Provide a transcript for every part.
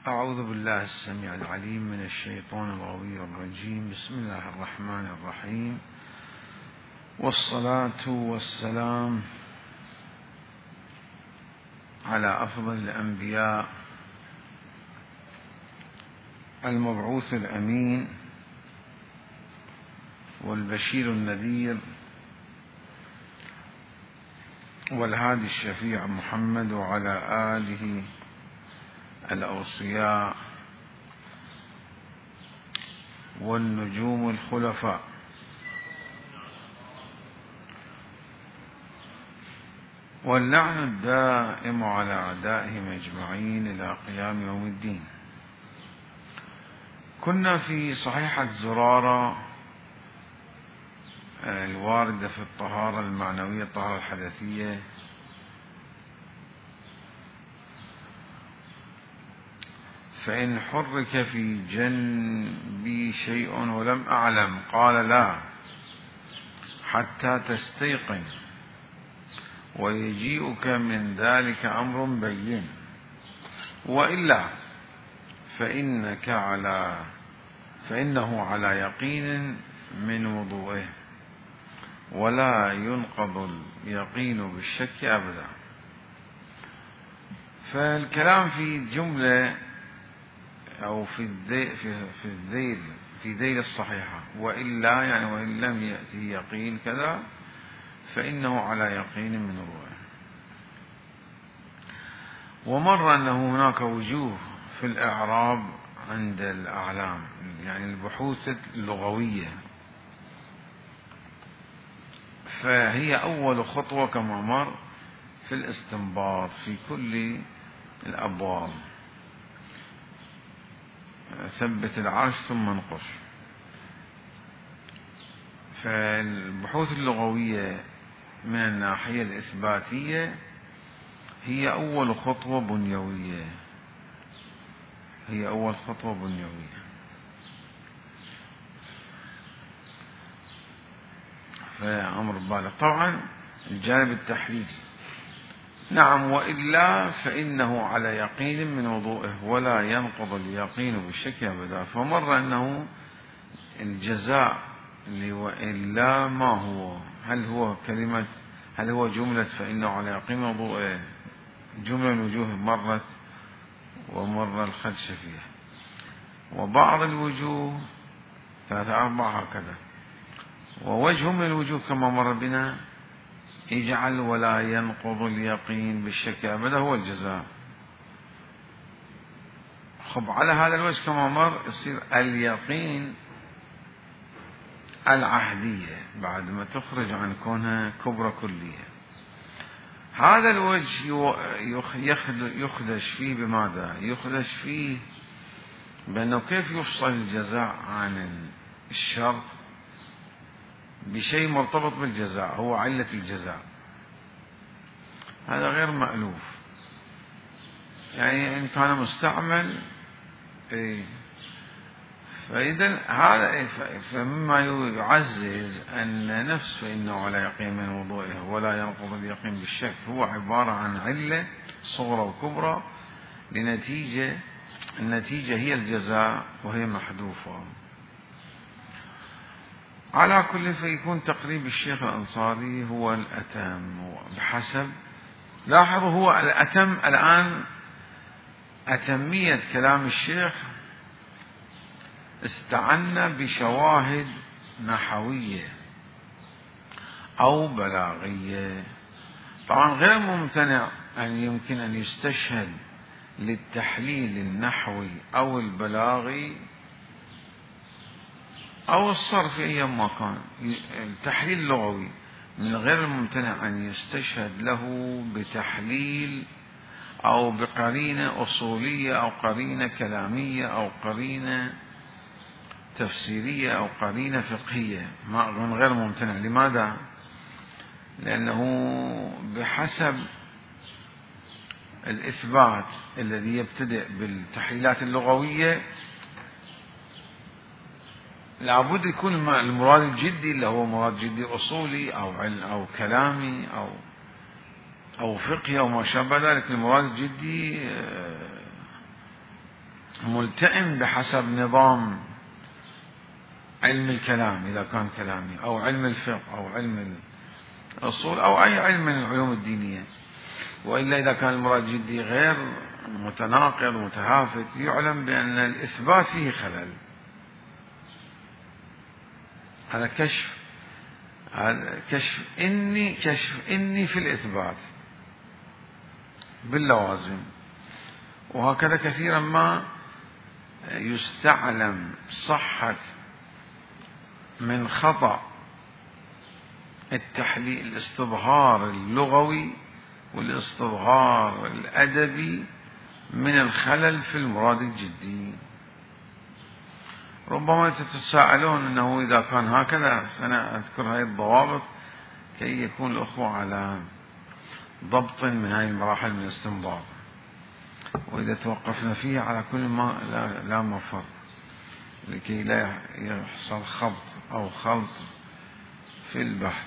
أعوذ بالله السميع العليم من الشيطان الغوي الرجيم. بسم الله الرحمن الرحيم، والصلاة والسلام على أفضل الأنبياء المبعوث الأمين والبشير النذير والهادي الشفيع محمد، وعلى آله الأوصياء والنجوم الخلفاء، واللعن الدائم على أعدائهم أجمعين إلى قيام يوم الدين. كنا في صحيحة زرارة الواردة في الطهارة المعنوية، الطهارة الحدثية، فإن حرك في جنبي شيء ولم أعلم قال لا حتى تستيقن، ويجيئك من ذلك أمر بين، وإلا فإنه على يقين من وضوئه، ولا ينقض اليقين بالشك أبدا. فالكلام في جملة أو في ذيل الصحيحة، وإلا يعني وإن لم يأتي يقين كذا فإنه على يقين من وضوئه. ومر أنه هناك وجوه في الإعراب عند الأعلام، يعني البحوث اللغوية، فهي أول خطوة كما مر في الاستنباط في كل الأبواب. ثبت العرش ثم انقش. فالبحوث اللغوية من الناحية الإثباتية هي أول خطوة بنيوية، فأمر بالغ. طبعا الجانب التحليلي، نعم، وإلا فإنه على يقين من وضوئه ولا ينقض اليقين بالشك أبدا. فمر أنه الجزاء وإلا ما هو؟ هل هو جملة فإنه على يقين من وضوئه، جملة الوجوه مرت ومر الخدش فيها، وبعض الوجوه 3 4 هكذا. ووجه من الوجوه كما مر بنا اجعل ولا ينقض اليقين بالشك أبدا هو الجزاء. على هذا الوجه كما مر يصير اليقين العهدية بعد ما تخرج عن كونها كبرى كلية. هذا الوجه يخدش فيه بماذا؟ يخدش فيه بأنه كيف يفصل الجزاء عن الشر بشيء مرتبط بالجزاء، هو علة الجزاء. هذا غير مألوف، يعني إن كان مستعمل فإذا هذا فمما يعزز أن نفس فإنه على يقين من وضوئه ولا ينقض اليقين بالشك هو عبارة عن علة صغرى وكبرى لنتيجة، النتيجة هي الجزاء وهي محذوفة. على كل، فيكون تقريب الشيخ الأنصاري هو الأتم بحسب، لاحظوا هو الأتم الآن. أتمية كلام الشيخ استعنا بشواهد نحوية أو بلاغية. طبعا غير ممتنع أن يمكن أن يستشهد للتحليل النحوي أو البلاغي أو الصرفي أيما كان. التحليل اللغوي من غير الممتنع أن يستشهد له بتحليل أو بقرينة أصولية أو قرينة كلامية أو قرينة تفسيرية أو قرينة فقهية، من غير ممتنع. لماذا؟ لأنه بحسب الإثبات الذي يبتدئ بالتحليلات اللغوية لابد يكون المراد الجدي اللي هو مراد جدي أصولي أو كلامي أو فقهي أو ما شابه ذلك. المراد الجدي ملتئم بحسب نظام علم الكلام إذا كان كلامي، أو علم الفقه، أو علم الأصول، أو أي علم من العلوم الدينية. وإلا إذا كان المراد جدي غير متناقض متهافت، يعلم بأن الإثبات فيه خلل. هذا كشف إني في الإثبات باللوازم. وهكذا كثيرا ما يستعلم صحة من خطأ التحليل، الاستظهار اللغوي والاستظهار الأدبي من الخلل في المراد الجدي. ربما تتساءلون أنه إذا كان هكذا سنذكر هذه الضوابط كي يكون الأخوة على ضبط من هذه المراحل من الاستنباط، وإذا توقفنا فيها على كل ما لا مفر، لكي لا يحصل خبط أو خلط في البحث،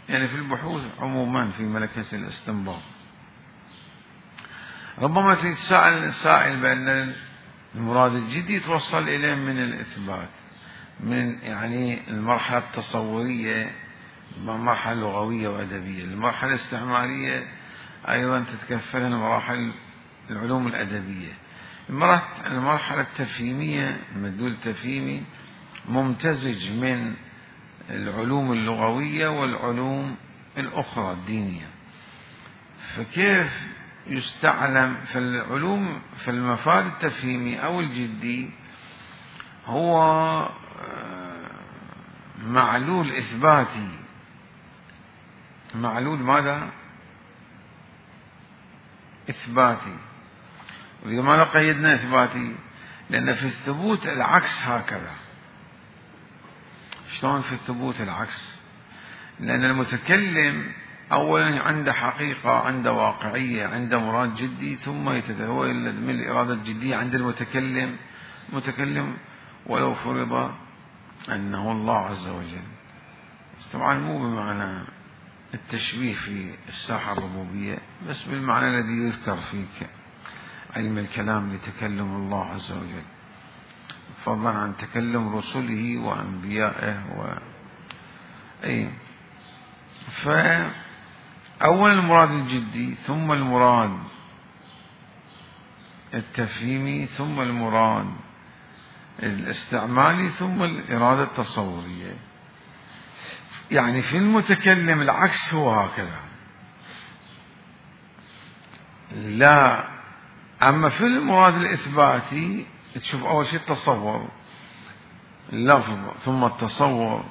يعني في البحوث عموما في ملكة الاستنباط. ربما تتساءل السائل بأن المراد الجدي يتوصل إليه من الإثبات، من يعني المرحلة التصورية، مرحلة لغوية وأدبية. المرحلة الاستعمارية أيضا تتكفلها مراحل العلوم الأدبية. المرحلة التفهيمية، المدلول التفهيمي ممتزج من العلوم اللغوية والعلوم الأخرى الدينية. فكيف يستعلم في العلوم في المفاد التفهيمي أو الجدي هو معلول إثباتي. معلول ماذا؟ إثباتي. ولماذا قيدنا إثباتي؟ لأن في الثبوت العكس هكذا. شلون في الثبوت العكس؟ لأن المتكلم أولا عنده حقيقة، عنده واقعية، عنده مراد جدي، ثم يتداول من الإرادة الجدية عند المتكلم ولو فرض أنه الله عز وجل. طبعا مو بمعنى التشبيه في الساحة الربوبية، بس بالمعنى الذي يذكر في علم الكلام لتكلم الله عز وجل، فضلا عن تكلم رسله وأنبيائه فأول المراد الجدي، ثم المراد التفهيمي، ثم المراد الاستعمالي، ثم الإرادة التصورية. يعني في المتكلم العكس هو هكذا. لا، أما في المراد الإثباتي تشوف أول شيء التصور، اللفظ، ثم التصور،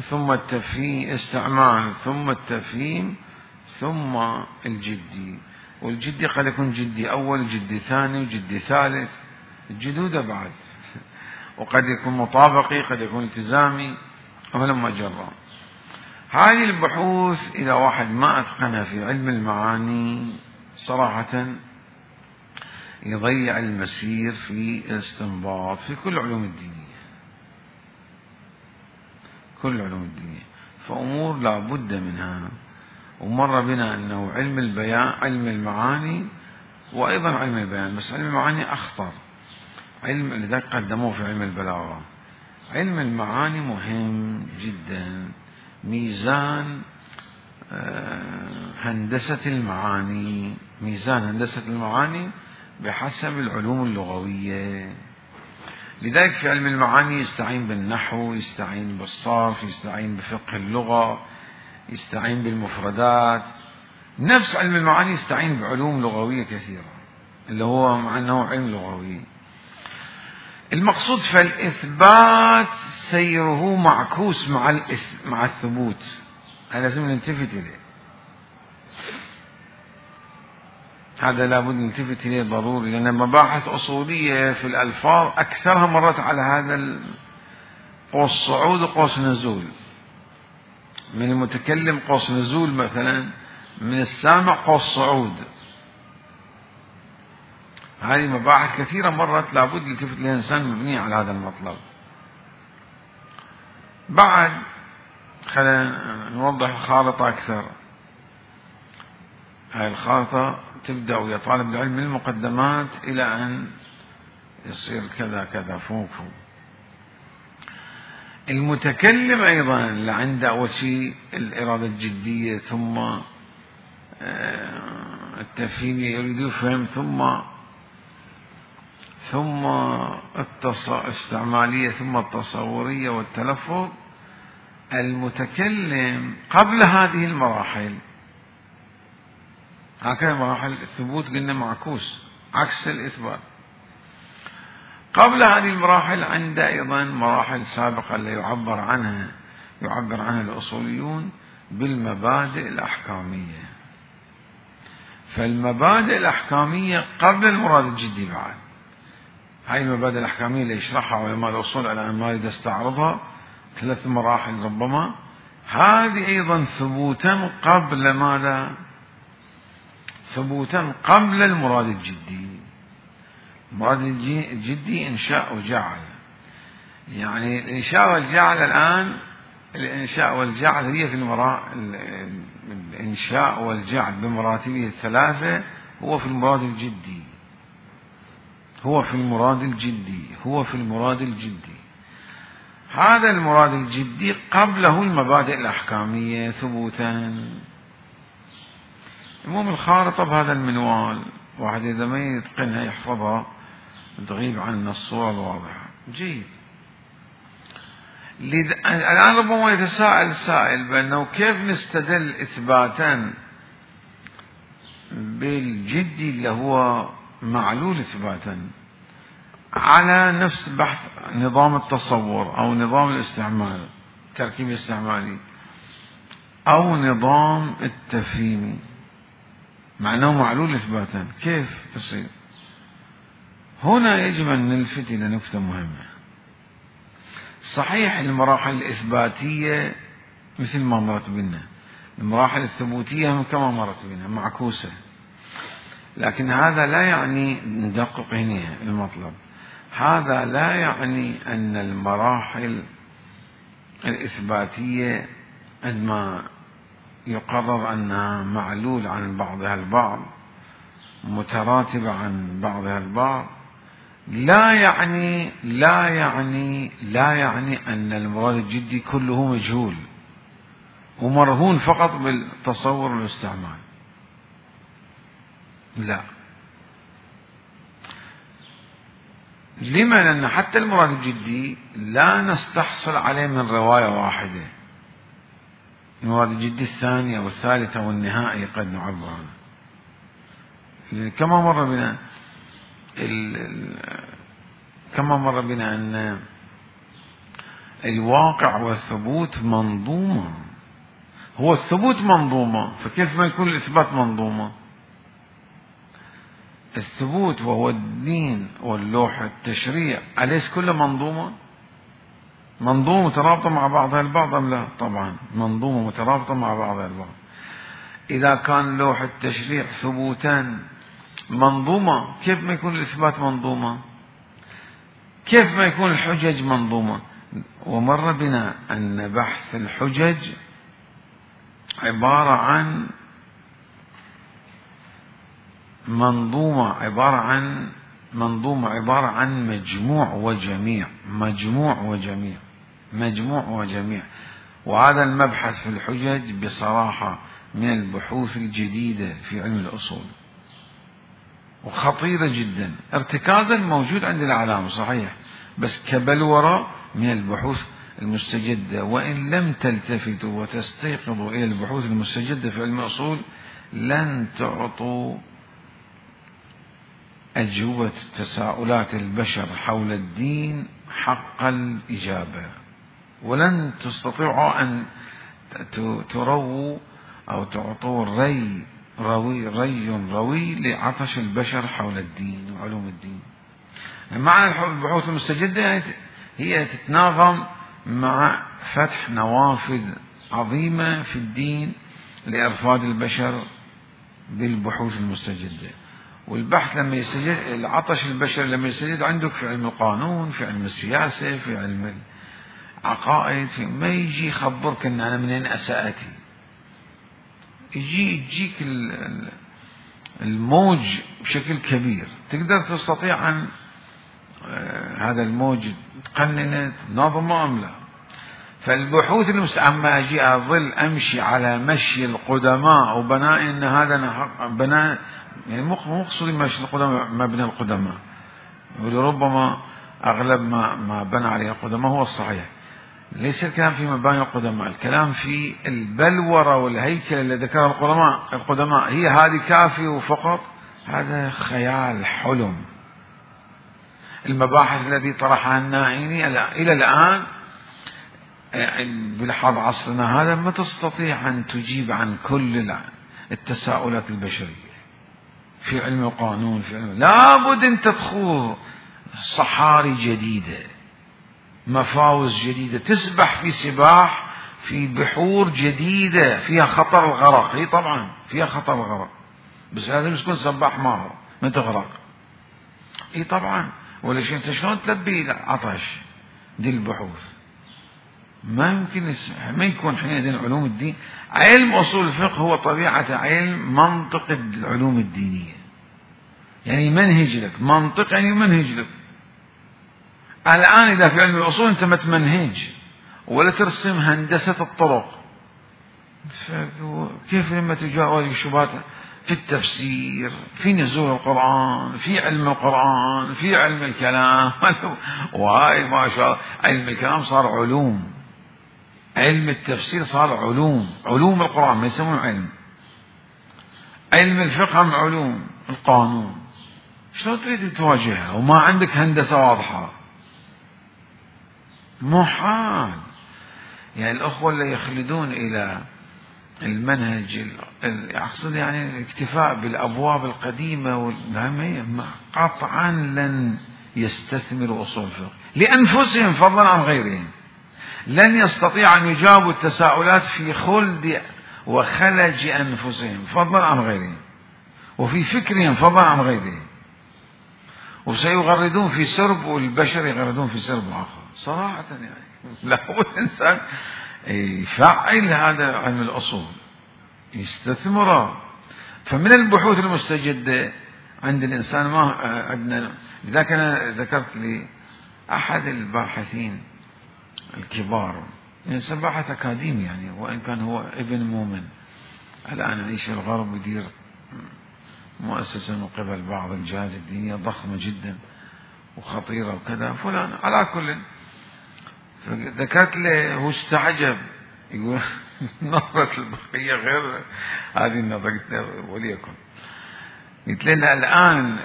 ثم التفهيم، استعمال، ثم التفهيم، ثم الجدي. والجدي قد يكون جدي أول، جدي ثاني، جدي ثالث، الجدود بعد، وقد يكون مطابقي، قد يكون التزامي، ولما جرى. هذه البحوث إذا واحد ما أتقنها في علم المعاني صراحة يضيع المسير في الاستنباط في كل علوم الدينية، كل علوم الدينية. فأمور لا بد منها. ومر بنا أنه علم البيان، علم المعاني، وأيضا علم البيان، بس علم المعاني أخطر علم، لذلك قدموه في علم البلاغة. علم المعاني مهم جدا، ميزان هندسة المعاني، ميزان هندسة المعاني بحسب العلوم اللغوية. لذلك في علم المعاني يستعين بالنحو، يستعين بالصرف، يستعين بفقه اللغة، يستعين بالمفردات. نفس علم المعاني يستعين بعلوم لغوية كثيرة، اللي هو مع أنه علم لغوي. المقصود فالإثبات سيره معكوس مع الثبوت، هذا لازم نلتفت إليه، هذا لابد نلتفت إليه ضروري، لأن مباحث أصولية في الألفاظ أكثرها مرت على هذا قوس صعود وقوس نزول. من المتكلم قوس نزول مثلا، من السامع قوس صعود. هذه مباحث كثيرة مرت لابد يلتفت لها الإنسان مبنية على هذا المطلب. بعد خلينا نوضح الخارطة أكثر. هاي الخارطة تبدأ ويا طالب العلم من المقدمات إلى أن يصير كذا كذا فوق. المتكلم أيضا اللي عنده أول شيء الإرادة الجدية، ثم التفهيم يريد يفهم، ثم الاستعمالية، ثم التصورية والتلفظ. المتكلم قبل هذه المراحل، هكذا مراحل الثبوت قلنا معكوس عكس الإثبات، قبل هذه المراحل عنده أيضا مراحل سابقة اللي يعبر عنها الأصوليون بالمبادئ الأحكامية. فالمبادئ الأحكامية قبل المراد الجدي بعد. هاي المبادئ الأحكامية اللي يشرحها علماء الأصول على أن ما أريد أستعرضها، 3 مراحل ربما، هذه أيضا ثبوتا قبل ماذا؟ ثبوتا قبل المراد الجدي. المراد الجدي إنشاء وجعل، يعني الإنشاء والجعل الآن، الإنشاء والجعل هي في الإنشاء والجعل بمراتبه الثلاثة هو في المراد الجدي، هو في المراد الجدي. هذا المراد الجدي قبله المبادئ الأحكامية ثبوتا. المهم الخارطة بهذا المنوال، واحد إذا ما يتقنها يحفظها تغيب عنا الصورة الواضحة. جيد. الآن ربما يتساءل السائل بأنه كيف نستدل إثباتا بالجدي اللي هو معلول إثباتا على نفس بحث نظام التصور أو نظام الاستعمال، التركيب الاستعمالي، أو نظام التفهيم، معناه معلول إثباتا، كيف يصير؟ هنا يجب أن نلفت إلى نقطة مهمة. صحيح المراحل الإثباتية مثل ما مرت بنا، المراحل الثبوتية كما مرت بنا معكوسة، لكن هذا لا يعني، ندقق هنا المطلب، هذا لا يعني أن المراحل الإثباتية عندما يقرر أنها معلول عن بعضها البعض، متراتبة عن بعضها البعض، لا يعني أن المراد الجدي كله مجهول ومرهون فقط بالتصور والاستعمال. لا. لما؟ لأن حتى المراد الجدي لا نستحصل عليه من رواية واحدة، المراد الجدي الثانية والثالثة والنهائي قد نعبر عنه. كما مر بنا أن الواقع والثبوت منظومة، هو الثبوت منظومة، فكيف ما يكون الإثبات منظومة؟ الثبوت وهو الدين واللوحة التشريع أليس كله منظومة مترابطة مع بعضها البعض أم لا؟ طبعا منظومة مترابطة مع بعضها البعض. إذا كان لوحة التشريع ثبوتا منظومة، كيف ما يكون الإثبات منظومة؟ كيف ما يكون الحجج منظومة؟ ومر بنا أن بحث الحجج عبارة عن منظومة، عبارة عن مجموع وجميع. وهذا المبحث في الحجج بصراحة من البحوث الجديدة في علم الأصول، وخطيرة جدا. ارتكازا موجود عند العلامة صحيح، بس كبلورة من البحوث المستجدة. وإن لم تلتفتوا وتستيقظوا إلى البحوث المستجدة في علم الأصول لن تعطوا أجوبة تساؤلات البشر حول الدين حق الإجابة، ولن تستطيعوا أن ترووا أو تعطوا ري روي لعطش البشر حول الدين وعلوم الدين. معنى البحوث المستجدة يعني هي تتناغم مع فتح نوافذ عظيمة في الدين لإرفاد البشر بالبحوث المستجدة. والبحث لما يستجد، العطش البشري لما يستجد عندك في علم القانون، في علم السياسة، في علم العقائد، ما يجي يخبرك ان انا منين اساتي، يجيك الموج بشكل كبير، تقدر تستطيع أن هذا الموج تقننه تنظمه أم لا؟ فالبحوث أما أجي أظل أمشي على مشي القدماء وبناء أن هذا بناء، يعني مقصود مشي القدماء مبنى القدماء، ولربما أغلب ما بنى عليه القدماء هو الصحيح. ليس الكلام في مباني القدماء، الكلام في البلورة والهيكل اللي ذكر القدماء هي هذه كافية وفقط؟ هذا خيال حلم. المباحث التي طرحها النائيني إلى الآن بلحاظ عصرنا هذا ما تستطيع أن تجيب عن كل التساؤلات البشرية في علم القانون، في علم لابد أن تدخل صحاري جديدة، مفاوز جديدة، تسبح في سباح في بحور جديدة فيها خطر الغرق. هي طبعا فيها خطر الغرق، بس لازم تكون سباح ماهر ما تغرق. اي طبعا، ولا شيء انت شلون تلبي عطش؟ دي البحوث ما يمكن ما يكون حينئذ علوم الدين. علم اصول الفقه هو طبيعة علم منطق العلوم الدينية، يعني منهج لك، منطق يعني منهج لك. الآن إذا في علم الأصول أنت ما تمنهج ولا ترسم هندسة الطرق، كيف لما تجاوز الشبهات في التفسير، في نزول القرآن، في علم القرآن، في علم الكلام وهاي ما شاء الله علم الكلام صار علوم، علم التفسير صار علوم، علوم القرآن ما يسمون علم الفقه هم علوم القانون. شلون تريد تواجهها وما عندك هندسة واضحة؟ محال. يعني الأخوة اللي يخلدون إلى المنهج أقصد يعني الاكتفاء بالأبواب القديمة والنعمية قطعا لن يستثمروا أصول الفقه لأنفسهم فضلا عن غيرهم، لن يستطيع أن يجاوبوا التساؤلات في خلد وخلج أنفسهم فضلا عن غيرهم، وفي فكرهم فضلا عن غيرهم، وسيغردون في سرب والبشر يغردون في سرب آخر صراحة. يعني لابد الإنسان يفعل هذا علم الأصول يستثمره. فمن البحوث المستجدة عند الإنسان ما عندنا. لذلك أنا ذكرت لي أحد الباحثين الكبار، إنسان باحث أكاديمي يعني، وإن كان هو ابن مؤمن، الآن يعيش في الغرب ويدير مؤسسة من قبل بعض الجهات الدينية ضخمة جدا وخطيرة وكذا فلان. على كل ذكرت له هو استعجب، يقول نظرة البقية غير هذه النظرة. وليكن قلت لنا الآن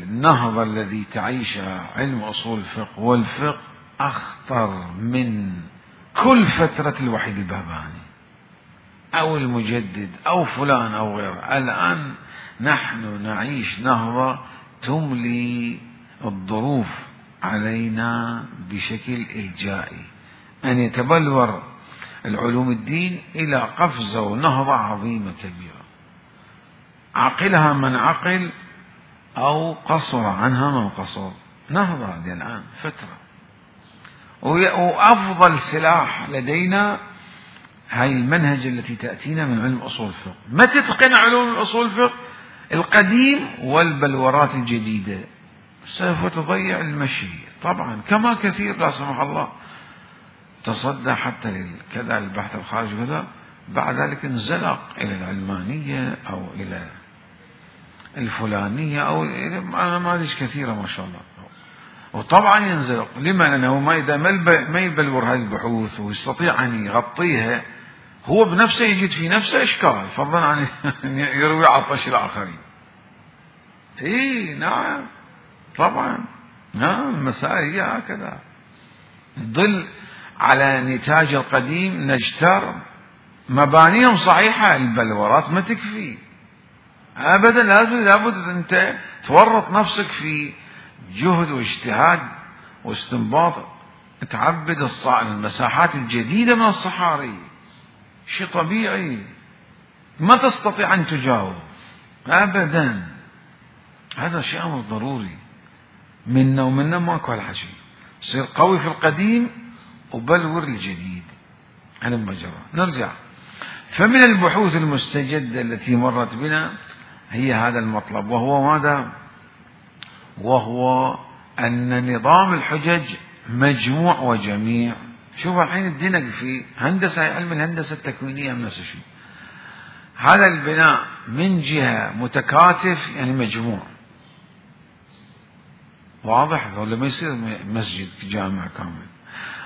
النهضة الذي تعيشها علم أصول الفقه والفقه أخطر من كل فترة الوحيد البهبهاني أو المجدد أو فلان أو غيره. الآن نحن نعيش نهضة تملي الظروف علينا بشكل إلجائي، أن يتبلور العلوم الدين إلى قفزة ونهضة عظيمة كبيرة، عقلها من عقل أو قصر عنها من قصر. نهضة هذه الآن فترة، وأفضل سلاح لدينا هاي المنهج التي تأتينا من علم أصول الفقه. ما تتقن علوم أصول الفقه القديم والبلورات الجديدة سوف تضيع المشي طبعا، كما كثير لا سمح الله تصدى حتى كذا البحث الخارجي كذا، بعد ذلك انزلق إلى العلمانية أو إلى الفلانية أو إلى نماذج كثيرة ما شاء الله. وطبعا ينزلق لما؟ لأنه ما يبلور هذه البحوث ويستطيع أن يغطيها هو بنفسه، يجد في نفسه إشكال فضلا عن يروي عطش الآخرين. إيه نعم طبعا، نعم المسائل هي هكذا. ظل على نتاج القديم نجتر، مبانيهم صحيحة، البلورات ما تكفي أبدا، لابد أنت تورط نفسك في جهد واجتهاد واستنباط، تعبد المساحات الجديدة من الصحاري، شيء طبيعي ما تستطيع أن تجاوب أبدا. هذا شيء أمر ضروري منا ومنا، ماكو هالحكي. صير قوي في القديم وبلور الجديد على المجرى. نرجع. فمن البحوث المستجدة التي مرت بنا هي هذا المطلب، وهو ماذا؟ وهو أن نظام الحجج مجموع وجميع. شوف الحين الدنق في هندسة، علم الهندسة التكوينية نفس الشيء. هذا البناء من جهة متكاتف يعني مجموع، واضح؟ ولا ما يصير مسجد جامع كامل.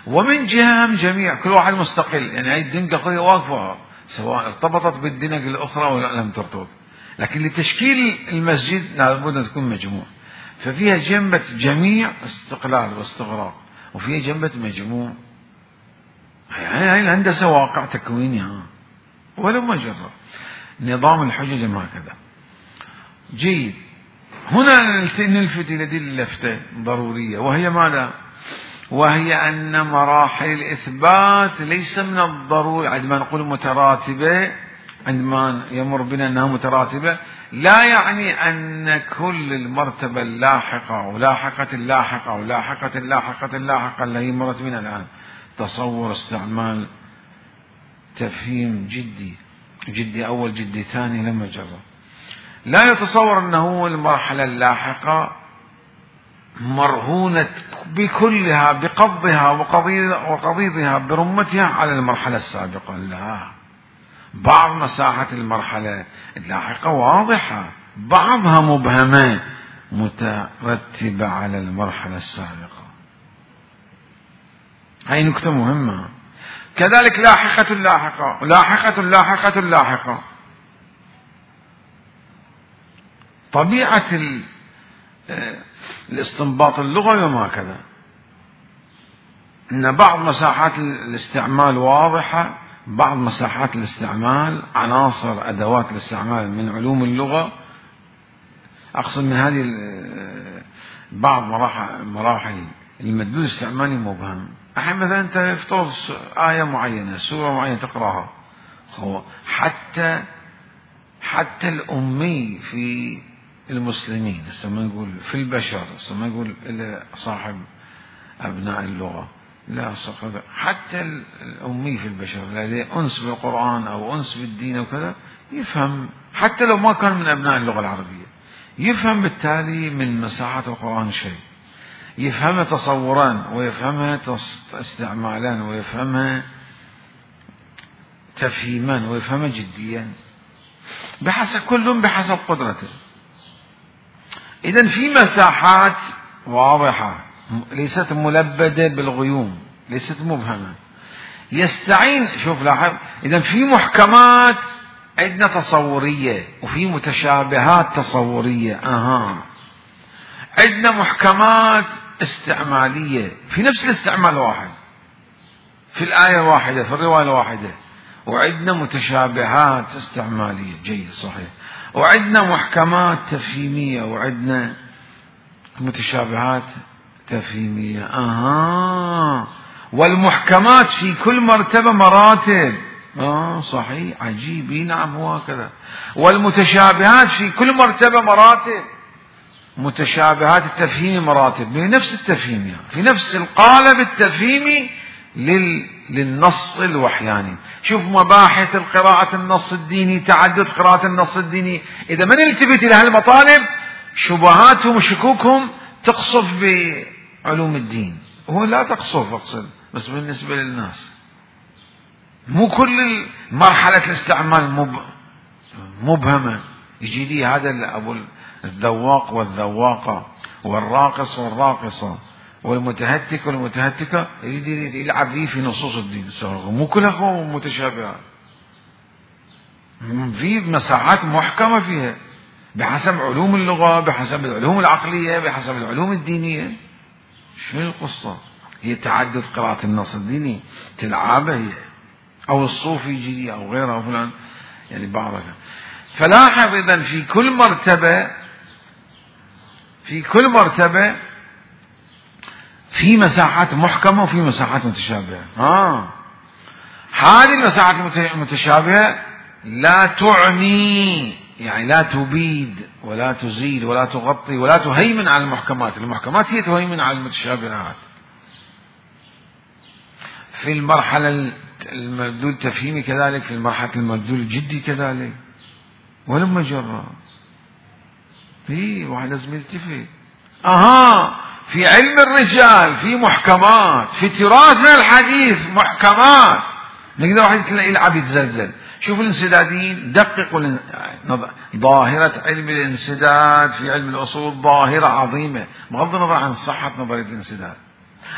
ومن جهة هم جميع، كل واحد مستقل، يعني هاي الدنقة واقفة سواء ارتبطت بالدنق الأخرى ولا لم ترتبط، لكن لتشكيل المسجد لابد أن تكون مجموع. ففيها جنبة جميع استقلال واستغراق، وفيها جنبة مجموع. يعني هاي الهندسة واقع تكويني ولو ما جرب. نظام الحجج هكذا. جيد. هنا نلفت إلى دي اللفتة ضرورية، وهي ماذا؟ وهي أن مراحل الإثبات ليس من الضروري عندما نقول متراتبة، عندما يمر بنا أنها متراتبة لا يعني أن كل المرتبة اللاحقة ولاحقة اللاحقة ولاحقة اللاحقة اللاحقة اللي هي مرت بنا الآن تصور استعمال تفهيم جدي أول جدي ثاني لما جرب، لا يتصور أنه المرحلة اللاحقة مرهونة بكلها بقبضها وقضيضها برمتها على المرحلة السابقة. لا، بعض مساحة المرحلة اللاحقة واضحة، بعضها مبهمة مترتبة على المرحلة السابقة. هاي نكتة مهمة. كذلك لاحقة اللاحقة، لاحقة اللاحقة اللاحقة. طبيعة الاستنباط اللغوي وما كذا، ان بعض مساحات الاستعمال واضحة، بعض مساحات الاستعمال عناصر ادوات الاستعمال من علوم اللغة، اقصد من هذه بعض مراحل المدلول الاستعمالي مبهم. الحين مثلا انت يفترض آية معينة سورة معينة تقراها، حتى الأمي في المسلمين ما نقول في البشر، ما نقول صاحب أبناء اللغة، لا حتى الأمي في البشر الذي أنس بالقرآن أو أنس بالدين وكذا يفهم، حتى لو ما كان من أبناء اللغة العربية يفهم بالتالي من مساحات القرآن شيء، يفهمها تصوران ويفهمها استعمالان ويفهمها تفهيما ويفهمها جديا، بحسب كل بحسب قدرته. إذن في مساحات واضحة ليست ملبدة بالغيوم، ليست مبهمة، يستعين. شوف لاحظ، إذن في محكمات عندنا تصورية وفي متشابهات تصورية، عندنا محكمات استعمالية في نفس الاستعمال واحد في الآية الواحدة في الرواية الواحدة، وعندنا متشابهات استعمالية. جيد، صحيح. وعندنا محكمات تفهيمية وعندنا متشابهات تفهيمية. والمحكمات في كل مرتبة مراتب. صحيح، عجيب. نعم، هو كذا. والمتشابهات في كل مرتبة مراتب، متشابهات التفهيم مراتب بنفس التفهيم، يعني في نفس القالب التفهيمي للنص الوحياني. شوف مباحث القراءة النص الديني، تعدد قراءة النص الديني، إذا ما نلتفت إلى هالمطالب شبهاتهم وشكوكهم تقصف بعلوم الدين، هو لا تقصف، أقصد بس بالنسبة للناس. مو كل مرحلة الاستعمال مبهمة. يجي لي هذا أبو الذواق والذواقة والراقص والراقصة والمتهتك والمتهتكة يريد يلعب فيه في نصوص الدين، مو كلها متشابهات، في مساحات محكمة فيها بحسب علوم اللغة، بحسب العلوم العقلية، بحسب العلوم الدينية. شو القصة؟ هي تعدد قراءة النص الديني تلعبه هي، أو الصوفي يجي أو غيره أو فلان، يعني بعضها. فلاحظ إذن في كل مرتبة في مساحات محكمة وفي مساحات متشابهة. هذه المساحات المتشابهة لا تعني، يعني لا تبيد ولا تزيل ولا تغطي ولا تهيمن على المحكمات. المحكمات هي تهيمن على المتشابهات. في المرحلة المدلول التفهيمي كذلك، في المرحلة المدلول الجدي كذلك، ولما جرى في واحد لازم يلتفت. في علم الرجال في محكمات، في تراثنا الحديث محكمات. نقدر واحد يلعب يتزلزل. شوف الانسداديين دققوا ظاهرة علم الانسداد في علم الأصول ظاهرة عظيمة، بغض النظر عن صحة نظرية الانسداد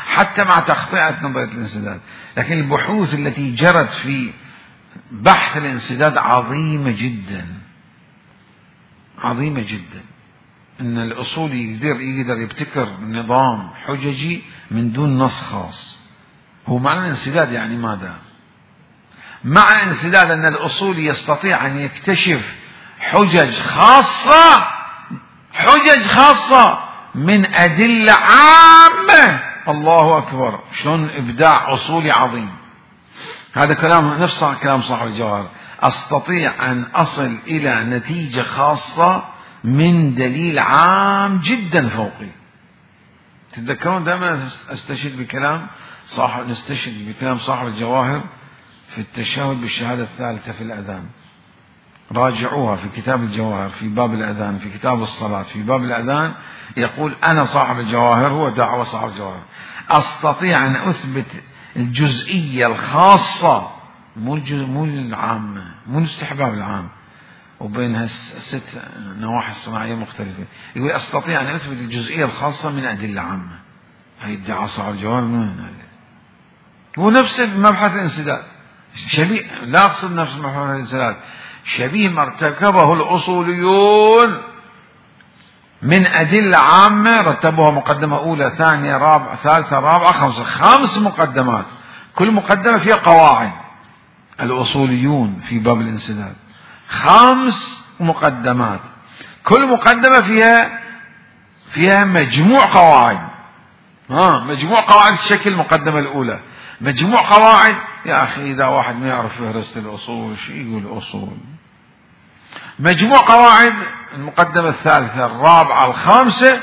حتى مع تخطئة نظرية الانسداد، لكن البحوث التي جرت في بحث الانسداد عظيمة جدا، عظيمة جدا. ان الاصول يقدر يبتكر نظام حججي من دون نص خاص. هو معنى الانسداد يعني ماذا؟ معنى الانسداد ان الاصول يستطيع ان يكتشف حجج خاصة من ادلة عامة. الله اكبر، شلون ابداع اصولي عظيم. هذا كلام نفس كلام صاحب الجواهر، استطيع ان اصل الى نتيجة خاصة من دليل عام جدا فوقي. تتذكرون دائما نستشهد بكلام صاحب الجواهر في التشهد بالشهادة الثالثة في الأذان. راجعوها في كتاب الجواهر في باب الأذان، في كتاب الصلاة في باب الأذان، يقول أنا صاحب الجواهر، هو دعوة صاحب الجواهر، أستطيع أن أثبت الجزئية الخاصة، مو العامة، مو الاستحباب العام وبينها 6 نواحي صناعية مختلفة. يقول أستطيع أن أثبت الجزئية الخاصة من أدلة عامة. هي ادعاء صاحب الجواهر من هذا. هو نفس مبحث الانسداد، شبيه، لا أقصد نفس مبحث الانسداد، شبيه ما ارتكبه الأصوليون من أدلة عامة رتبوها مقدمة أولى ثانية رابعة ثالثة رابعة خمسة، 5 مقدمات، كل مقدمة فيها قواعد. الأصوليون في باب الانسداد 5 مقدمات، كل مقدمة فيها مجموع قواعد. مجموع قواعد الشكل المقدمة الأولى، مجموع قواعد. يا أخي إذا واحد ما يعرف فهرست الأصول شو يقول أصول؟ مجموع قواعد المقدمة الثالثة الرابعة الخامسة.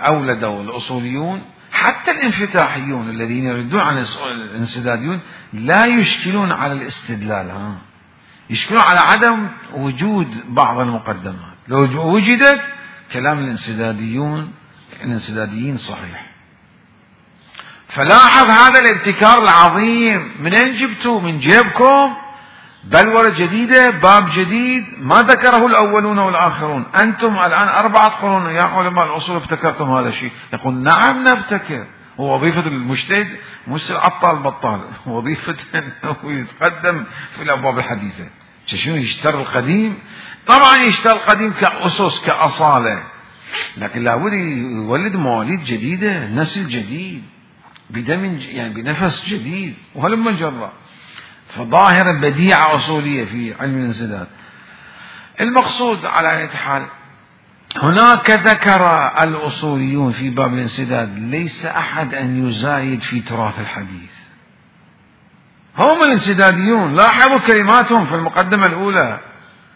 أولدوا الأصوليون حتى الانفتاحيون الذين يردون على الانسداديون لا يشكلون على الاستدلال، يشكلون على عدم وجود بعض المقدمات. لو وجدت كلام الانسداديين صحيح. فلاحظ هذا الابتكار العظيم، منين جبتوه؟ من جيبكم؟ بلورة جديدة، باب جديد ما ذكره الأولون والآخرون. أنتم الآن 4 قرون يا علماء الأصول ابتكرتم هذا الشيء. يقول نعم نبتكر. ووظيفة المجتهد مش العطال بطال، وظيفة أنه يتقدم في الأبواب الحديثة. شنو يشتري القديم؟ طبعا يشتري القديم كأسس كأصالة، لكن لابد يولد مواليد جديدة، نسل جديد بدم يعني بنفس جديد، وهلم جرا. فظاهرة بديعة أصولية في علم الانسداد. المقصود على أي حال، هناك ذكر الأصوليون في باب الانسداد ليس أحد أن يزايد في تراث الحديث. هم الانسداديون لاحظوا كلماتهم في المقدمة الأولى،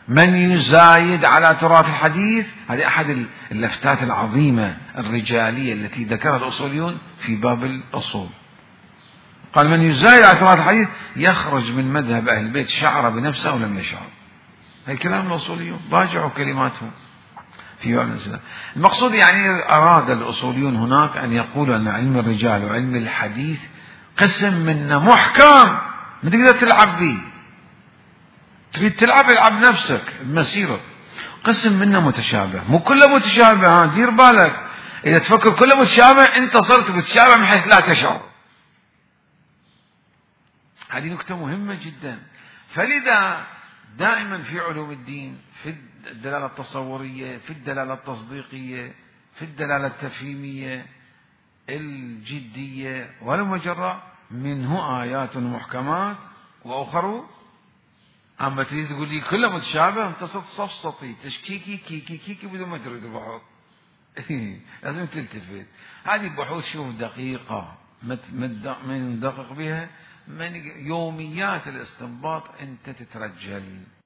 من يزايد على تراث الحديث. هذه أحد اللفتات العظيمة الرجالية التي ذكرها الأصوليون في باب الأصول. قال من يزايد على تراث الحديث يخرج من مذهب أهل البيت، شعر بنفسه أو لم يشعر. هي كلام الأصوليون، راجعوا كلماتهم في باب الانسداد. المقصود يعني أراد الأصوليون هناك أن يقولوا أن علم الرجال وعلم الحديث قسم منه محكم ما تقدر تلعب به. تريد تلعب العب نفسك بمسيرك. قسم منه متشابه، مو كله متشابه. دير بالك، إذا تفكر كله متشابه أنت صرت متشابه من حيث لا تشعر. هذه نكتة مهمة جدا. فلذا دائما في علوم الدين، في الدلالة التصورية، في الدلالة التصديقية، في الدلالة التفهيمية، الجدية والمجرة، منه آيات محكمات وأخر. أما تريد تقول لي كله متشابه، أنت صفصطي تشكيكي كيكي كيكي بدون ما تريد البحوث. لازم تلتفت. هذه بحوث شوف دقيقة، من دقق بها، من يوميات الاستنباط أنت تترجل.